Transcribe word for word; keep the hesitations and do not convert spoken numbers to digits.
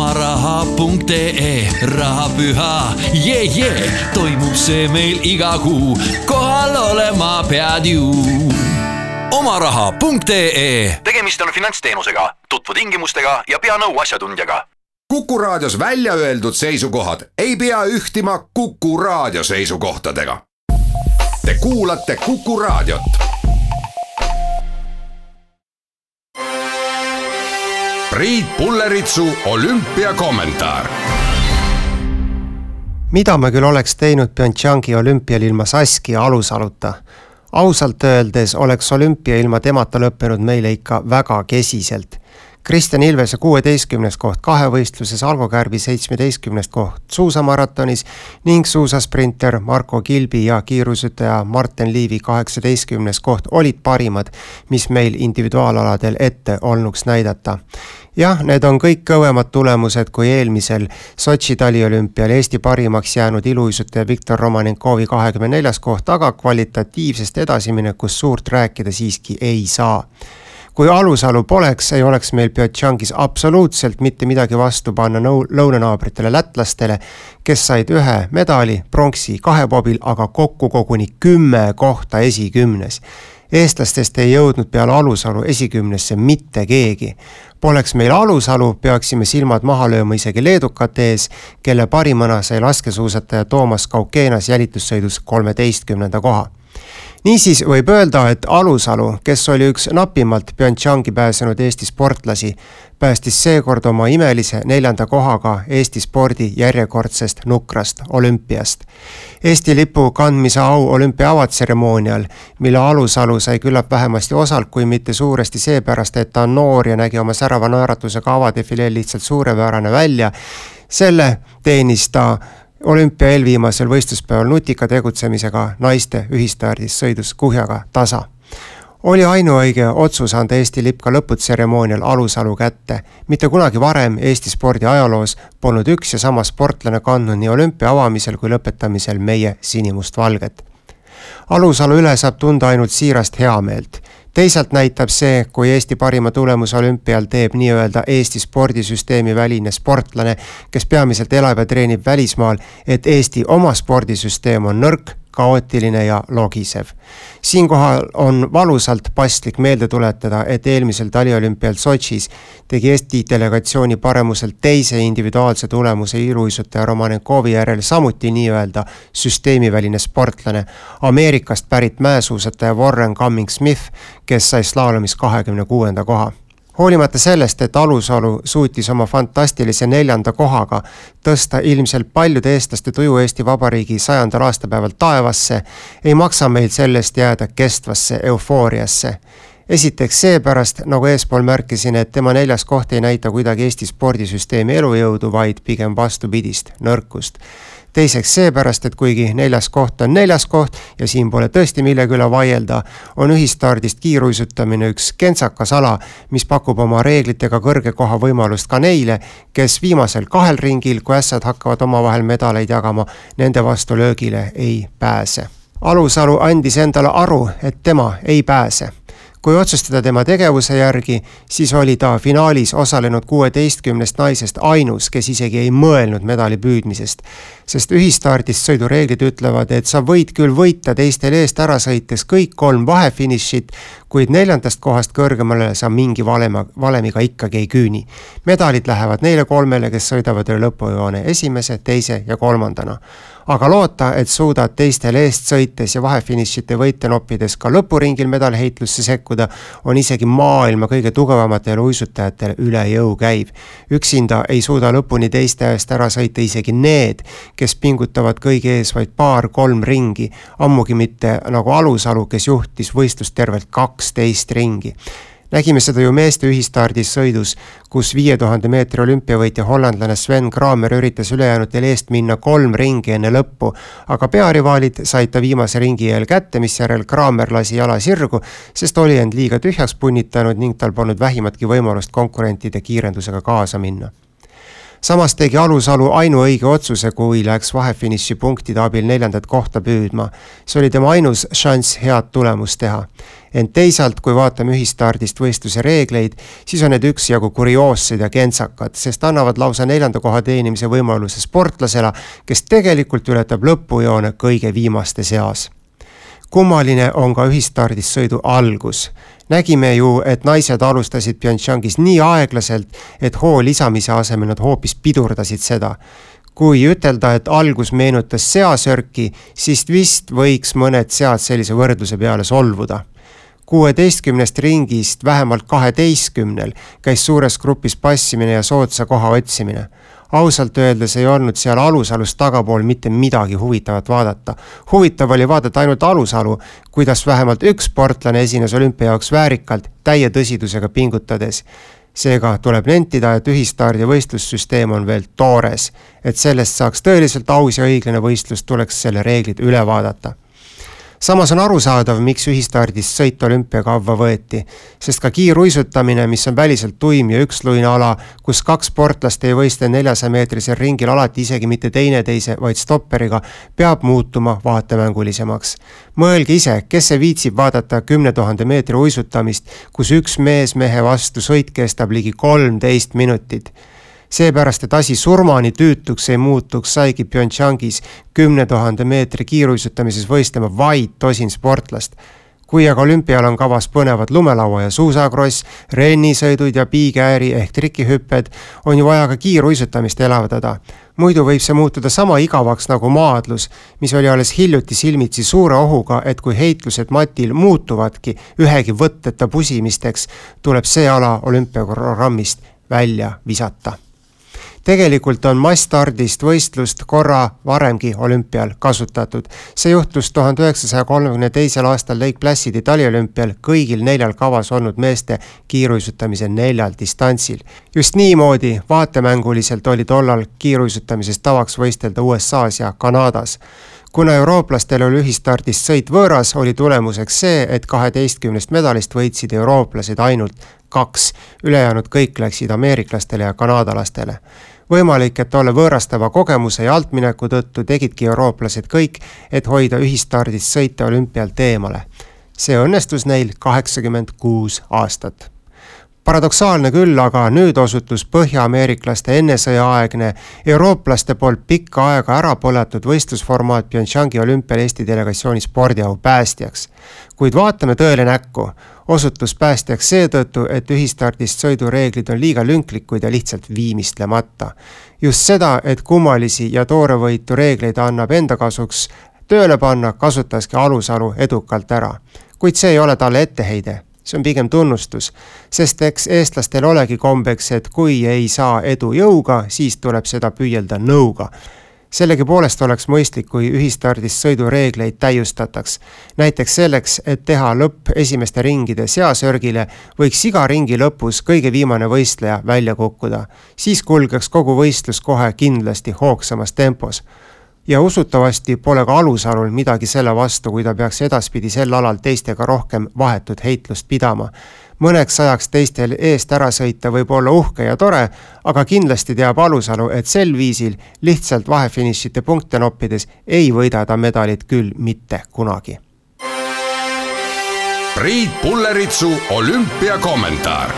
omaraha punkt ee, rahapüha, jee, jee, toimub see meil iga kuu, kohal olema pead ju. omaraha punkt ee. Tegemist on finantsteenusega, tutvu tingimustega ja pea nõu asjatundjaga. Kuku Raadios välja öeldud seisukohad ei pea ühtima Kuku Raadio seisukohtadega. Te kuulate Kuku Raadiot. Priit Pulleritsu olümpiakommentaar. Mida me küll oleks teinud Pyeongchangi olümpial ilma Saskia Alusaluta? Ausalt öeldes oleks olümpia ilma temata lõppenud meile ikka väga kesiselt. Kristjan Ilvese kuueteistkümnes koht kahevõistluses, Algo Kärbi seitsmeteistkümnes koht suusamaratonis ning suusasprinter Marko Kilbi ja kiirusütaja Marten Liivi kaheksateistkümnes koht olid parimad, mis meil individuaalaladel ette olnuks näidata. Jah, need on kõik kõvemad tulemused kui eelmisel Sotši taliolümpial Eesti parimaks jäänud iluuisutaja Viktor Romanenkovi kahekümne neljas koht, aga kvalitatiivsest edasiminekust suurt rääkida siiski ei saa. Kui Alusalu poleks, ei oleks meil Pyeongchangis absoluutselt mitte midagi vastu panna lõunanaabritele lätlastele, kes said ühe medali, pronksi kahebobil, aga kokku koguni kümme kohta esikümnes. Eestlastest ei jõudnud peale Alusalu esikümnesse mitte keegi. Poleks meil Alusalu, peaksime silmad maha lööma isegi leedukate ees, kelle parimana sai laskesuusataja Toomas Kaukeenas jälitussõidus kolmeteistkümnenda koha. Niisiis võib öelda, et Alusalu, kes oli üks napimalt Pyeongchangi pääsenud Eesti sportlasi, päästis seekord oma imelise neljanda kohaga Eesti spordi järjekordsest nukrast olümpiast. Eesti lipu kandmise au olümpia avatseremoonial, mille Alusalu sai küllap vähemasti osalt, kui mitte suuresti seepärast, et ta on noor ja nägi oma särava naeratusega avadefileel lihtsalt suurepärane välja, selle teenis ta olümpia eelviimasel võistluspäeval nutika tegutsemisega naiste ühistardis sõidus kuhjaga tasa. Oli ainuõige otsus anda Eesti lipp ka lõputseremoonial Alusalu kätte. Mitte kunagi varem Eesti spordi ajaloos polnud üks ja sama sportlane kandnud nii olümpia avamisel kui lõpetamisel meie sinimust valget. Alusalu üle saab tunda ainult siirast heameelt. Teisalt näitab see, kui Eesti parima tulemus olümpial teeb nii-öelda Eesti spordisüsteemi väline sportlane, kes peamiselt elab ja treenib välismaal, et Eesti oma spordisüsteem on nõrk, kaootiline ja logisev. Siinkohal on valusalt paslik meelde tuletada, et eelmisel taliolümpial Sotšis tegi Eesti delegatsiooni paremuselt teise individuaalse tulemuse iluuisutaja Romanenkovi järel samuti nii-öelda süsteemiväline sportlane, Ameerikast pärit mäesuusataja Warren Cummings-Smith, kes sai slaalomis kahekümne kuuenda koha. Hoolimata sellest, et Alusalu suutis oma fantastilise neljanda kohaga tõsta ilmselt paljude eestlaste tuju Eesti Vabariigi sajandal aastapäeval taevasse, ei maksa meil sellest jääda kestvasse eufooriasse. Esiteks seepärast, nagu eespool märkisin, et tema neljas koht ei näita kuidagi Eesti spordisüsteemi elujõudu, vaid pigem vastupidist, nõrkust. Teiseks seepärast, et kuigi neljas koht on neljas koht ja siin pole tõesti millegi üle vaielda, on ühistardist kiiruisutamine üks kentsakas ala, mis pakub oma reeglitega kõrge koha võimalust ka neile, kes viimasel kahel ringil, kui ässad hakkavad omavahel medaleid jagama, nende vastu löögile ei pääse. Alusalu andis endale aru, et tema ei pääse. Kui otsustada tema tegevuse järgi, siis oli ta finaalis osalenud kuueteistkümnest naisest ainus, kes isegi ei mõelnud medali püüdmisest. Sest ühistardist sõidureeglid ütlevad, et sa võid küll võita teistel eest ära sõites kõik kolm vahefinišit, kuid neljandast kohast kõrgemale sa mingi valema, valemiga ikkagi ei küüni. Medalid lähevad neile kolmele, kes sõidavad üle lõpujoone esimese, teise ja kolmandana. Aga loota, et suudad teistel eest sõites ja vahefinišite võite noppides ka lõpuringil medalheitlusse sekkuda, on isegi maailma kõige tugevamatel uisutajatel üle jõu käiv. Üksinda ei suuda lõpuni teiste eest ära sõita isegi need, kes pingutavad kõige ees vaid paar-kolm ringi, ammugi mitte nagu Alusalu, kes juhtis võistlust tervelt kaksteist ringi. Nägime seda ju meeste ühistardis sõidus, kus viie tuhande meetri olümpiavõitja hollandlane Sven Kramer üritas ülejäänutel eest minna kolm ringi enne lõppu, aga pearivaalid said ta viimase ringi eel kätte, mis järel Kramer lasi jala sirgu, sest oli end liiga tühjaks punnitanud ning tal polnud vähimatki võimalust konkurentide kiirendusega kaasa minna. Samas tegi Alusalu ainuõige otsuse, kui läks vahefiniši punktide abil neljandat kohta püüdma. See oli tema ainus šanss head tulemust teha. Ent teisalt, kui vaatame ühistardist võistluse reegleid, siis on need üksjagu kurioossed ja kentsakad, sest annavad lausa neljanda koha teenimise võimaluse sportlasele, kes tegelikult ületab lõpujoone kõige viimaste seas. Kummaline on ka ühistardist sõidu algus. Nägime ju, et naised alustasid Pyeongchangis nii aeglaselt, et hoo lisamise asemel nad hoopis pidurdasid seda. Kui ütelda, et algus meenutas seasörki, siis vist võiks mõned sead sellise võrdluse peale solvuda. kuueteistkümnest ringist vähemalt kaheteistkümnel käis suures grupis passimine ja soodsa koha otsimine. Ausalt öeldes ei olnud seal Alusalust tagapool mitte midagi huvitavat vaadata. Huvitav oli vaadata ainult Alusalu, kuidas vähemalt üks sportlane esines olümpia jaoks väärikalt, täie tõsidusega pingutades. Seega tuleb nentida, et ühistardi võistlussüsteem on veel toores, et sellest saaks tõeliselt aus ja õiglane võistlus, tuleks selle reeglid üle vaadata. Samas on arusaadav, miks ühistardist sõit olümpiakavva võeti, sest ka kiiruisutamine, mis on väliselt tuim ja üksluine ala, kus kaks sportlast ei võistle neljasaja meetrisel ringil alati isegi mitte teine teise, vaid stopperiga, peab muutuma vaatemängulisemaks. Mõelge ise, kes see viitsib vaadata kümne tuhande meetri uisutamist, kus üks mees mehe vastu sõit kestab ligi kolmteist minutit. Seepärast, et asi surmani tüütuks ei muutuks, saigi Pyeongchangis kümne tuhande meetri kiiruisutamises võistlema vaid tosin sportlast. Kui aga olümpial on kavas põnevad lumelaua ja suusakross, rennisõidud ja piigääri ehk trikihüpped, on ju vaja ka kiiruisutamist elavdada. Muidu võib see muutuda sama igavaks nagu maadlus, mis oli alles hiljuti silmitsi suure ohuga, et kui heitlused matil muutuvadki ühegi võtteta pusimisteks, tuleb see ala olümpiaprogrammist välja visata. Tegelikult on massstardist võistlust korra varemgi olümpial kasutatud. See juhtus tuhande üheksasaja kolmekümne teisel aastal Lake Placidi taliolümpial kõigil neljal kavas olnud meeste kiiruisutamise neljal distantsil. Just niimoodi vaatemänguliselt oli tollal kiiruisutamises tavaks võistelda U S A's ja Kanadas. Kuna eurooplastel oli ühistardist sõit võõras, oli tulemuseks see, et kaheteistkümnest medalist võitsid eurooplased ainult kaks. Ülejäänud kõik läksid ameeriklastele ja kanadalastele. Võimalik, et tolle võõrastava kogemuse ja altmineku tõttu tegidki eurooplased kõik, et hoida ühistardist sõita olümpialt eemale. See õnnestus neil kaheksakümmend kuus aastat. Paradoksaalne küll, aga nüüd osutus põhja-ameeriklaste ennesõjaaegne eurooplaste poolt pikka aega ära põletud võistlusformaat Pyeongchangi olümpial Eesti delegatsiooni spordiau päästjaks. Kuid vaatame tõele näkku. Osutus päästjaks seetõttu, et ühistardist sõidureeglid on liiga lünklikud ja lihtsalt viimistlemata. Just seda, et kummalisi ja toorevõitu reegleid annab enda kasuks tööle panna, kasutaski Alusalu edukalt ära. Kuid see ei ole talle etteheide. See on pigem tunnustus, sest eks eestlastel olegi kombeks, et kui ei saa edu jõuga, siis tuleb seda püüelda nõuga. Sellegi poolest oleks mõistlik, kui ühistardist sõidureegleid täiustataks. Näiteks selleks, et teha lõpp esimeste ringide seasörgile, võiks iga ringi lõpus kõige viimane võistleja välja kukkuda. Siis kulgeks kogu võistlus kohe kindlasti hoogsamas tempos. Ja usutavasti pole ka Alusalul midagi selle vastu, kui ta peaks edaspidi sel alal teistega rohkem vahetut heitlust pidama. Mõneks ajaks teistel eest ära sõita võib olla uhke ja tore, aga kindlasti teab Alusalu, et sel viisil lihtsalt vahefinišite punkte noppides ei võida ta medalit küll mitte kunagi. Priit Pulleritsu olümpiakommentaar.